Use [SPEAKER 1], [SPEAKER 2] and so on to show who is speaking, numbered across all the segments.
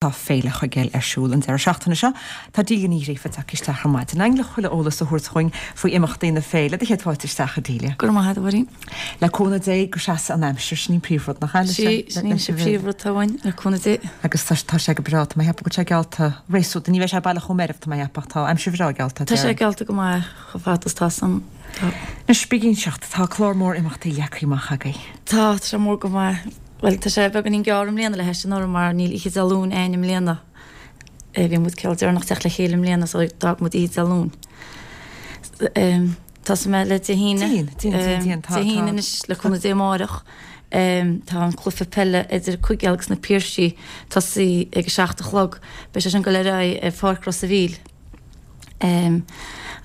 [SPEAKER 1] Tá Féile Chuigéil ar siúl an deireadh seachtaine seo. Tá Delia Ní Ghríofa tagtha isteach ar maidin againn le chuile eolas a thabhairt dhúinn faoi imeachtaí na féile. Do chéad fáilte isteach, a Delia.
[SPEAKER 2] Go raibh maith agat, a Mháirín.
[SPEAKER 1] Le cúnamh Dé go seasa an aimsir, sin an príomhrud, nach
[SPEAKER 2] ea? Sea, sin an príomhrud atá uainn, le cúnamh Dé.
[SPEAKER 1] Agus tá tá sé go breá, tá mé ag ceapadh go bhfuil sé geallta réasúnta, ní bheidh sé baileach chomh meirbh, tá mé ag ceapadh, tá aimsir bhreá geallta.
[SPEAKER 2] Tá sé geallta go maith chomh fada is tá san.
[SPEAKER 1] Tá. Anois, bí ag inseacht, tá clár mór imeachtaí leagtha amach agaibh.
[SPEAKER 2] Tá, tá sé mór go maith. Bhuel, tá sé beagáinín gearr i mbliana le hais anuraidh mar níl oíche Dé Luain a'inn i mbliana. Bhí muid cineál deireanach teacht le chéile i mbliana so d'fhág muid oíche Dé Luain. Tosóidh mé le Dé hAoine.
[SPEAKER 1] Dé hAoine, Dé Haoine, Dé Haoine,
[SPEAKER 2] tá, Dé hAoine anois le cúnamh Dé amáireach. Tá an cluiche peile idir Cuigéal agus na Piarsaigh tosaithe ag a 7 a chlog. Beidh sé sin ag dul ar aghaidh ar Pháirc Ros a' Mhíl.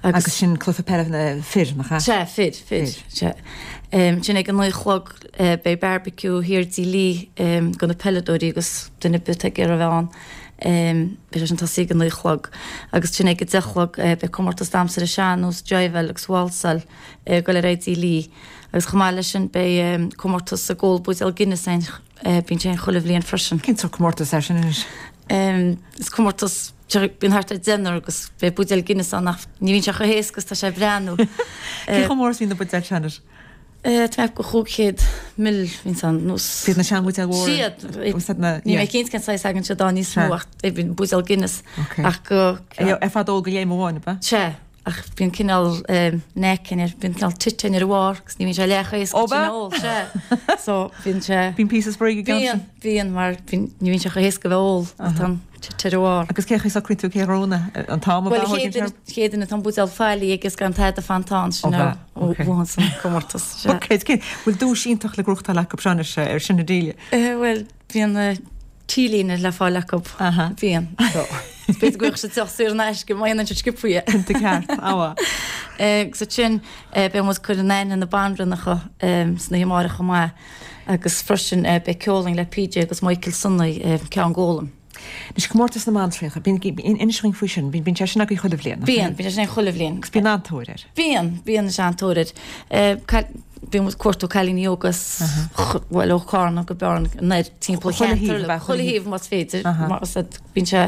[SPEAKER 1] Agus sin cluiche peile na fir, nach
[SPEAKER 2] ea? Sea, fir, fir, sea. Ansin ag a 9 a chlog beidh barbecue thiar i dTigh Lee do na peileadóirí agus duine ar bith atá ag iarraidh a bheith ann. Beidh sé sin tosaithe ag a 9 a chlog. Agus ansin ag a 10 a chlog beidh comórtas damhsa ar an sean-nós, jiveáil agus válsáil ag dul ar aghaidh i dTigh Lee. Agus chomh maith leis sin beidh comórtas ag ól buidéal Guinness ann, bíonn sé ann chuile bhliain freisin.
[SPEAKER 1] Cén sórt comórtas é sin anois?
[SPEAKER 2] Is comórtas, bíonn thart ar deichniúr agus beidh buidéal Guinness ann ach ní bhíonn sé chomh héasca is tá sé ag breathnú.
[SPEAKER 1] Cé chomh mór is a bhíonn na buidéil sin anois?
[SPEAKER 2] Tá mé ag ceapadh 500 ml bhíonn ann nós.
[SPEAKER 1] Siad na seanbhuidéil mhóra?
[SPEAKER 2] Siad. Níl mé cinnte cén saghas a fhaigheann siad ann níos mó ach bíonn buidéal Guinness ach
[SPEAKER 1] go. Ar fad ól go léim amháin, ab
[SPEAKER 2] ea? Sea. Ach bíonn cineál neck air, bíonn cineál tite ar a bharr agus ní bhíonn sé leath chomh héasca sin a ól, sea. So bíonn sé.
[SPEAKER 1] Bíonn píosa spraoi
[SPEAKER 2] ag an gceann sin. Bíonn, bíonn mar bíonn, ní bhíonn sé chomh héasca a bheith ól ach tá an tite ar a bharr.
[SPEAKER 1] Agus cén chaoi a socraíonn tú cé a ghnóthaíonn an t-am
[SPEAKER 2] ab ea? Bhuel, an chéad duine atá an buidéal faillí aige is gan tada fanta ann, sin a bhuann an comórtas,
[SPEAKER 1] sea. Ok, bhfuil duais iontach le gnóthachtáil acu seo anois ar sin a Delia?
[SPEAKER 2] Bhuel, bíonn T-léine le fáil acu. Bíonn. So, b'fhéidir go bhfuil siad deoch saor in aisce má dhéanann siad sciobtha é.
[SPEAKER 1] Cinnte ceart. Abha.
[SPEAKER 2] Agus ansin beidh muid ag cur in aithne na banríonacha san oíche amáireach chomh maith agus freisin beidh ceol againn le PJ agus Michael Sonny, Ceann Gólaim.
[SPEAKER 1] Anois comórtas na mbantraíocha, bíonn, inis dhúinn faoi sin, bíonn sé sin agaibh chuile bhliain,
[SPEAKER 2] nach mbíonn? Bíonn, bíonn sé sin againn chuile bhliain.
[SPEAKER 1] Agus bíonn an-tóir air.
[SPEAKER 2] Bíonn, bíonn an-tóir air. Bíonn muid ag cuartú cailíní óga as, bhuel, ó Chárna go Bearna, anoir timpeall an cheantair, chuile thaobh más féidir, mar is ea, bíonn sé,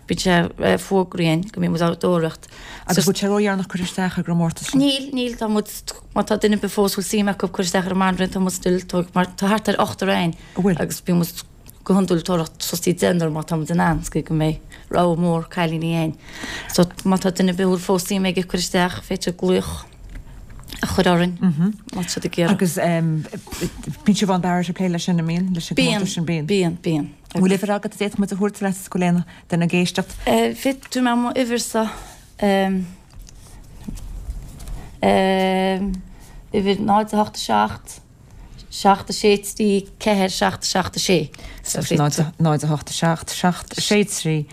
[SPEAKER 2] bíonn sé fuagraíonn go mbíonn muid á dtóraíocht.
[SPEAKER 1] Agus bhfuil sé ródheireanach cur isteach ar an gcomórtas
[SPEAKER 2] sin? Níl, níl, tá muid, má tá duine ar bith fós a bhfuil suim acu cur isteach ar an mbanríon, tá muid still, mar tá thart ar ochtar againn agus bíonn muid, go hiondúil tóraíocht fostaí deichniúr má tá muid in ann, is go mbeidh rogha mór cailíní againn. So má tá duine ar bith a bhfuil fós suim aige cur isteach, féidir glaoch a chur orainn má tá siad ag
[SPEAKER 1] iarraidh. Agus bíonn Siobhán Barrett ag plé leis sin, an mbíonn? Leis an gcomórtas sin,
[SPEAKER 2] bíonn. Bíonn, bíonn.
[SPEAKER 1] An bhfuil uimhir agat a d'fhéadfadh muid a thabhairt leat go bhfuil aon duine ag éisteacht?
[SPEAKER 2] Féadfaidh mé mo uimhirsa, uimhir 0 8 7 7 6 3 4 7 7 6.
[SPEAKER 1] 0 8 7 7 6 3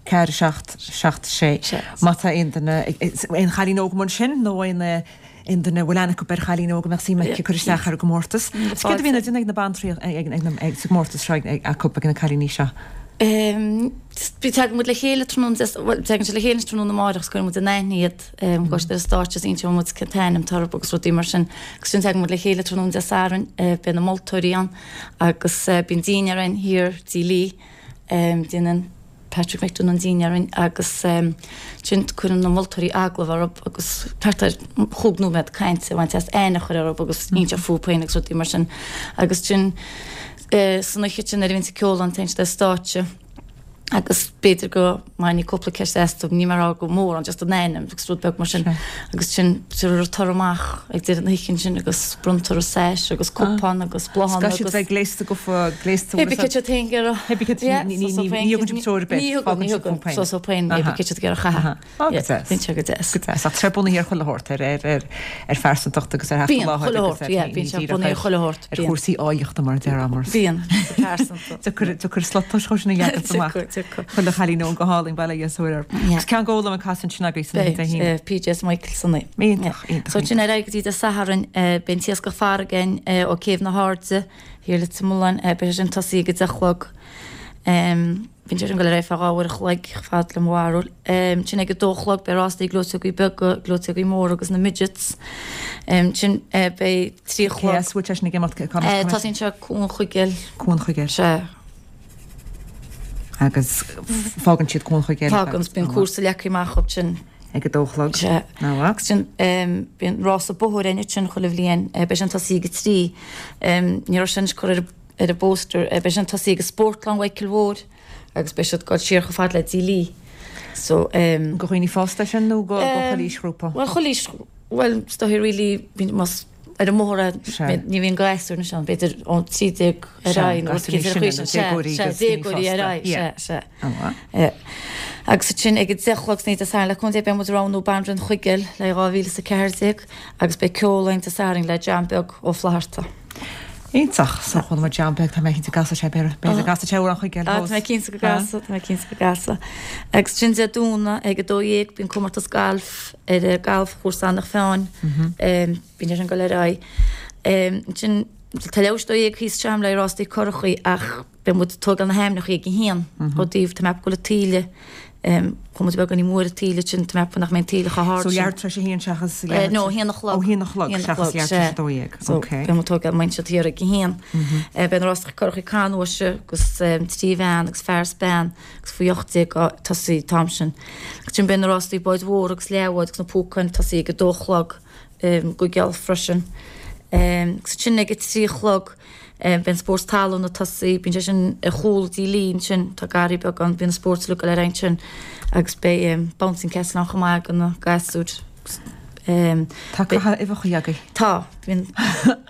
[SPEAKER 1] 4 7 7 6. Má tá aon duine, aon chailín óg amuigh ansin nó aon aon duine a bhfuil aithne acu ar chailín óg a mbeadh suim aici cur isteach ar an gcomórtas. Is céard a bhíonn á déanamh ag na bantraí ag sa gcomórtas seo acu ag na cailíní seo?
[SPEAKER 2] Bí tagann muid le chéile tráthnóna, bhuel tagann siad le chéile tráthnóna amárach is cuireann muid in aithne iad. Gabhann siad ar an stáitse is inseoidh muid cén t-ainm atá orthu agus rudaí mar sin. Agus ansin tagann muid le chéile tráthnóna Dé Sathairn, beidh na moltóirí ann agus bíonn dinnéar againn thiar i dTigh Lee, déanann Patrick McDonagh an dinnéar againn agus ansin cuireann na moltóirí agallamh orthu agus thart ar chúig nóiméad cainte a bhaint as aithne a chur orthu agus inseacht fúthu féin agus rudaí mar sin. Agus ansin san oíche sin nuair a bhíonn an ceol ann téann siad ar stáitse. agus b'fhéidir go mbainfí cúpla ceist astu, níl mé ag rá go mór ann, just an ainm agus rud beag mar sin. Agus sin tabharfar toradh amach ag deireadh na hoíche ansin agus bronntar sash agus cupán agus bláthanna
[SPEAKER 1] agus. Caithfidh siad bheith gléasta go
[SPEAKER 2] gléasta. Pé cad siad féin ag iarraidh.
[SPEAKER 1] Pé cad ní thugann sibh treoir ar bith.
[SPEAKER 2] Ní thugann, ní thugann. So so féin pé cad siad ag iarraidh a chaitheamh.
[SPEAKER 1] Go deas.
[SPEAKER 2] Bíonn sé go deas.
[SPEAKER 1] Go deas. Ach tá sé bunaithe ar chuile shórt, ar, ar, ar, ar phearsantacht agus ar theacht i láthair
[SPEAKER 2] agus ar, yeah, bíonn sé bunaithe ar chuile shórt.
[SPEAKER 1] Ar chúrsaí áilleachta mar a déarfá mar.
[SPEAKER 2] Bíonn, pearsanta.
[SPEAKER 1] Deacair, deacair slota sin a leagan amach.
[SPEAKER 2] Deacair.
[SPEAKER 1] Chuile chailín óg go hálainn, bail ó Dhia is orthu. Agus Ceann Gólaim ag casadh ansin agaibh san oíche Dé
[SPEAKER 2] hAoine. Beidh, PJ is Michael Sonny.
[SPEAKER 1] Iontach, iontach.
[SPEAKER 2] So ansin ar aghaidh go dtí Dé Sathairn, beidh an t-iascach farraige againn ó Céibh na hAirde, thiar i Leitir Mealláin, beidh sé sin tosaithe ag a 10 a chlog. Bíonn sé sin ag dul ar aghaidh feadh 2 uair a chloig, chomh fada le mo bharúil. Ansin ag a dó a chlog beidh rásaí gleoiteogaí beaga, gleoiteogaí móra agus na midgets. Ansin beidh 3 a
[SPEAKER 1] chlog. Cé as a bhfuil sé sin ag imeacht?
[SPEAKER 2] Tosaíonn sé Cuan Chuigéil.
[SPEAKER 1] Cuan Chuigéil.
[SPEAKER 2] Sea.
[SPEAKER 1] Agus fágann siad Cuan Chuigéil.
[SPEAKER 2] Fágann, bíonn cúrsa leagtha amach acu sin.
[SPEAKER 1] Ag a dó a chlog.
[SPEAKER 2] Sea. Agus sin, bíonn rása bóthair againn ansin chuile bhliain, beidh sin tosaithe ag a 3. Ní raibh sin anois curtha ar an bpóster, beidh sin tosaithe ag Spórtlann Mhichíl Mhóir agus beidh siad ag dul siar chomh fada le Dílí.
[SPEAKER 1] So. Do dhaoine fásta é sin nó do chuile aoisghrúpa?
[SPEAKER 2] Bhuel, chuile aois, bhuel, is dóigh really, más ar an mbóthar é, ní bhíonn gasúir anois ann, b'fhéidir ón 13 ar aghaidh nó rud éigin ar an chaoi sin, sea, sea, déagóirí ar aghaidh, sea, sea. An-mhaith. Agus ansin ag a 10 a chlog san oíche Dé Sathairn le cúnamh Dé beidh muid ag roghnú Banríon Chuigéil le 2014 agus beidh ceol againn Dé Sathairn le John Beag Ó Flatharta.
[SPEAKER 1] Iontach. So chuala muid John Beag, tá mé cinnte go gcasfaidh sé, b'fhéidir go gcasfaidh sé Amhrán Chuigéil
[SPEAKER 2] fós. Tá mé cinnte go gcasfaidh, tá mé cinnte go gcasfaidh. Agus ansin Dé Domhnaigh ag 12 bíonn comórtas gailf ar an galfchúrsa Eanach Mheáin. Bíonn sé sin ag dul ar aghaidh. Ansin tá leathuair tar éis 12 thíos anseo le rástaí currachaí ach Beidh muid ag tógáil na hainmneacha ag a haon ó dtaobh tá mé ag ceapadh go bhfuil an taoille chuaigh muid beagáinín mór an taoille sin tá mé ag ceapadh nach mbeidh an taoille chomh hard
[SPEAKER 1] So leathuair tar éis a haon seachas leathuair
[SPEAKER 2] No, a haon a chlog.
[SPEAKER 1] Ó haon a chlog seachas leathuair tar éis a 12.
[SPEAKER 2] So beidh muid ag tógáil muid siad thiar ag a haon. Beidh na rástaí currachaí canbháis agus 3 mheán agus fear is bean agus faoi 18 ag tosaí an t-am sin. Agus ansin beidh na rástaí báid mhóra agus leathbháid agus na púcáin ag tosaí ag a dó a chlog go geal freisin. Agus ansin ag a 3 a chlog Beidh an spórt talún ag tosaí, bíonn sé sin ar chúl Dí Lee ansin, tá garraí beag ann, bíonn an spórt uilig ag dul ar aghaidh ansin agus beidh bouncing castle ann chomh maith do na gasúir.
[SPEAKER 1] Tá caitheamh uibheachaí agaibh.
[SPEAKER 2] Tá, bíonn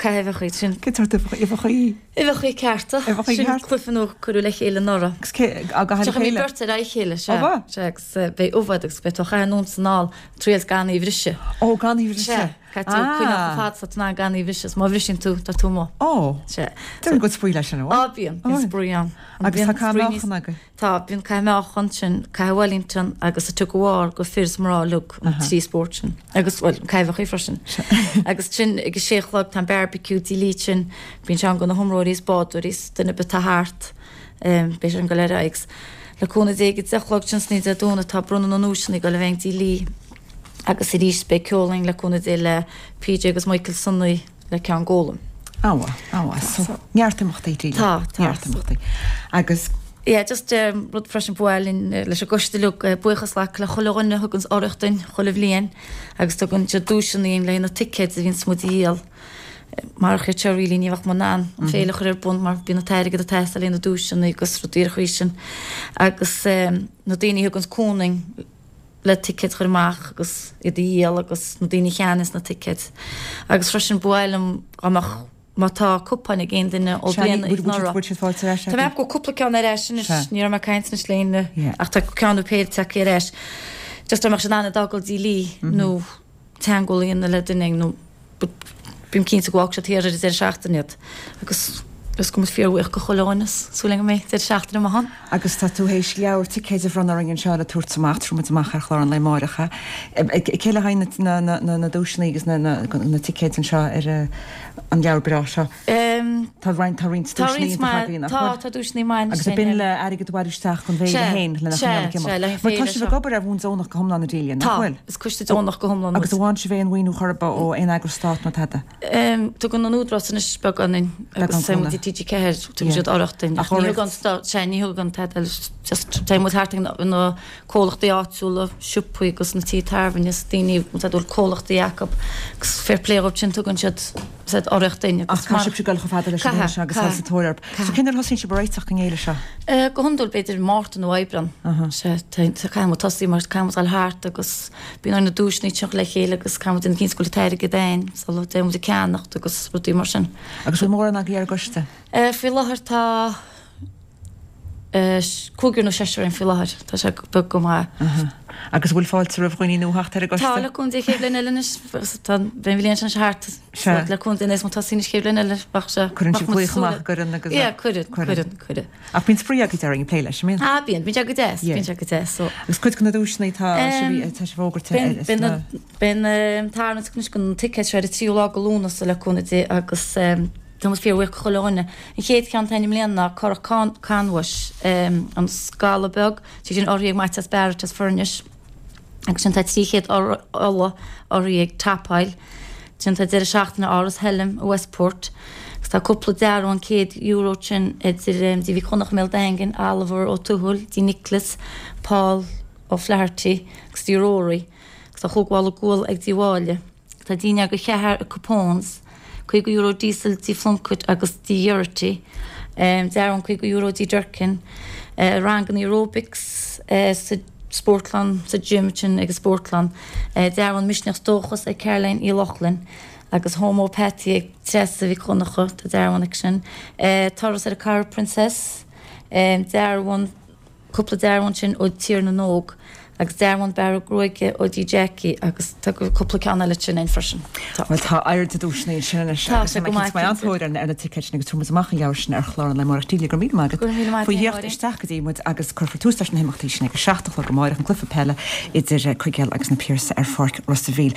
[SPEAKER 2] caitheamh uibheachaí, sin.
[SPEAKER 1] Cén sórt uibheachaí?
[SPEAKER 2] Uibheachaí cearta.
[SPEAKER 1] Uibheachaí
[SPEAKER 2] cearta. Sin cluiche nua a cuireadh le chéile anuraidh.
[SPEAKER 1] Agus cé, á gcaitheamh le chéile?
[SPEAKER 2] Beirt ar aghaidh a chéile, sea. Ó, sea, agus beidh ubh agat agus beidh tú á chaitheamh anonn is anall, triail gan í a bhriseadh.
[SPEAKER 1] Ó, gan í a bhriseadh.
[SPEAKER 2] Sea. Caithfidh tú coinneáil chomh fada is atá tú in ann gan í a bhriseadh, is má bhriseann tú, tá tú amuigh.
[SPEAKER 1] Ó! Sea. Déarfainn go bhfuil spraoi leis sin, an bhfuil?
[SPEAKER 2] Á, bíonn. Bíonn spraoi ann.
[SPEAKER 1] Agus tá caitheamh meáchan agaibh?
[SPEAKER 2] Tá. Bíonn caitheamh meáchan, sin caitheamh Wellington agus an tug of war go fir is mná uilig, an trí spórt sin. Agus, bhuel, an caitheamh uibheachaí freisin. Agus sin ag a sé a chlog tá an barbecue Dí Lee sin, bíonn sé ann go na hiomróirí is bádóirí is duine ar bith atá thart, beidh sé ag dul ar aghaidh. Agus le cúnamh Dé ag a 10 a chlog sin san oíche Dé Domhnaigh tá bronnadh na nduaiseanna ag dul a bheith ag Dí Lee. Agus arís beidh ceol againn le cúnamh Dé le PJ agus Michael Sonaí le Ceann Gólaim.
[SPEAKER 1] An-mhaith, an-mhaith. So, neart imeachtaí, Delia.
[SPEAKER 2] Tá, tá.
[SPEAKER 1] Neart imeachtaí. Agus.
[SPEAKER 2] Yeah, just rud freisin ba mhaith linn leis an gcoiste uilig buíochas a ghlacadh le chuile dhuine a thuganns urraíocht duinn chuile bhliain agus tugann siad duaiseanna dúinn le haghaidh na ticéid a bhíonns muid a dhíol. Marach iad seo really ní bheadh muid in ann an féile a chur ar bun mar bíonn an t-airgead ag teastáil le haghaidh na duaiseanna agus rudaí ar an chaoi sin. Agus na daoine a thuganns cúnamh duinn le ticéid a chur amach agus iad a dhíol agus na daoine a cheannaíos na ticéid. Agus freisin ba mhaith liom dá mbeadh, má tá cupáin ag aon duine ó
[SPEAKER 1] bliain anuraidh. Bhfuil siad faighte ar ais
[SPEAKER 2] Tá mé ag ceapadh go bhfuil cúpla ceann ar ais anois, ní raibh mé ag caint anois le éinne ach tá ceann nó péire tagtha ar ais. Just dá mbeadh siad in ann iad a fhágáil Dí Lee nó teagmháil a dhéanamh le duine nó bím cinnte go bhfágfaidh siad thiar ar an deireadh seachtaine iad agus is go mbeidh fíorbhuíoch go chuile dhuine is súil agam go mbeidh deireadh seachtaine maith ann.
[SPEAKER 1] Agus tá tú théis leabhar ticéid a bhronnadh orainn anseo le tabhairt amach, tabharfaidh muid amach ar chlár an lae amáireach é. Cé le haghaidh na duaiseanna agus na ticéid anseo ar an leabhar breá seo? Tá roinnt tá roinnt
[SPEAKER 2] duaiseanna iontacha againn, nach bhfuil? Tá, tá duaiseanna maith
[SPEAKER 1] Agus b'in le airgead a bhailiú isteach don bhféile féin lena choinneáil ag imeacht. Mar tá sibh ag obair ar bhonn deonach go hiomlán, a Delia, nach bhfuil?
[SPEAKER 2] Tá, is coiste deonach go hiomlán
[SPEAKER 1] muid. Agus an bhfaigheann sibh aon mhaoiniú chor ar bith ó aon eagras stáit nó tada?
[SPEAKER 2] Tugann an Údarás anois beagán duinn agus tá muid i TG4, tugann siad urraíocht duinn. Ach ní thugann stát, sea, ní thugann tada, just téann muid thart ag na comhlachtaí áitiúla, siopaí agus na tithe tábhairne is daoine a bhfuil comhlachtaí acu agus fair play dhóibh sin tugann siad said urraíocht duinn
[SPEAKER 1] agus Ach caithfidh sibhse dul chomh fada leis an bhféile seo agus dul sa tóir orthu. So cén uair a thosaíonn sibh ag réiteach don fhéile
[SPEAKER 2] seo? Go hiondúil b'fhéidir Márta nó Aibreán. Sea, caithfidh muid tosaí mar caithfidh muid dul thart agus bíonn orainn na duaiseanna a chur le chéile agus caithfidh muid déanamh cinnte go bhfuil an t-airgead againn sula dtéann muid ag ceannacht agus rudaí mar sin.
[SPEAKER 1] Agus bhfuil mórán agaibh ar an gcoiste?
[SPEAKER 2] Faoi láthair tá. Cúigear nó seisear againn faoi láthair. Tá sé beag go maith.
[SPEAKER 1] Agus an bhfuil fáilte roimh dhaoine nua theacht ar an
[SPEAKER 2] gcoiste? Tá, le cúnamh Dé chéad bhliain eile anois. Tá an bhliain sin thart. Sea. Le cúnamh Dé níos mó tosaí anois chéad bhliain eile.
[SPEAKER 1] Bheadh sé. Cuireann sibh glaoch amach an gcuireann
[SPEAKER 2] agus. Yeah, cuireann, cuireann, cuireann.
[SPEAKER 1] Ach bíonn spraoi agaibh déarfainn ag plé leis, an
[SPEAKER 2] mbíonn? Ah, bíonn. Bíonn sé go deas. Bíonn sé go deas.
[SPEAKER 1] So. Agus cuid de na duaiseanna tá sibh, tá sibh fógartha
[SPEAKER 2] ar na. Beidh an tarraingt anois do na ticéid seo ar an tríú lá de Lúnasa le cúnamh Dé agus. Tá muid fíorbhuíoch do chuile dhuine. An chéad cheann atá againn i mbliana ná Currach Canbháis, an Scalla Beag, sé sin urraithe ag Maitias Barrett as Foirnis. Agus ansin tá 300 Uladh urraithe ag Top Oil. Ansin tá deireadh seachtaine Áras Helam i Westport. Agus tá cúpla dearbhán €100 ansin idir Dí Mhic Dhonncha i mBéal Daingin, Oliver Ó Tuathail, Dí Nicholas, Paul O'Flaherty agus Dí Rory. Agus tá chúig mhála gual ag Dí Mháille. Tá dinnéar do cheathrar ag Capone's, €50 diesel Dí Plunkett agus Dí Geraghty, dearbhán €50 Dí Durkin, ranganna aerobics sa spórtlann, sa gym sin ag an spórtlann, dearbhán Misneach 's Dóchas ag Caroline Uí Lochlainn agus Homeopathy ag Treasa Mhic Dhonncha, tá dearbhán aici sin, turas ar an Carraig Princess, dearbhán. Cúpla dearbhán ansin ó Tír na nÓg agus dearbhán bearradh gruaige ó Dí Jackie agus tá cúpla ceann eile ansin ann freisin.
[SPEAKER 1] Tá. Bhuel tá oiread de duaiseanna ansin anois
[SPEAKER 2] Tá sé go maith
[SPEAKER 1] cinnte. Beidh an-tóir ar na ticéid sin agus tabharfaidh muid amach an leabhar sin ar chlár an lae amárach. Delia, go raibh míle maith agat
[SPEAKER 2] Go raibh míle maith
[SPEAKER 1] faoi theacht isteach go dtí muid agus cuirfear tús leis na himeachtaí sin ag a 7 a chlog amárach, an cluiche peile idir Cuigéal agus na Piarsaigh ar Pháirc Ros a' Mhíl.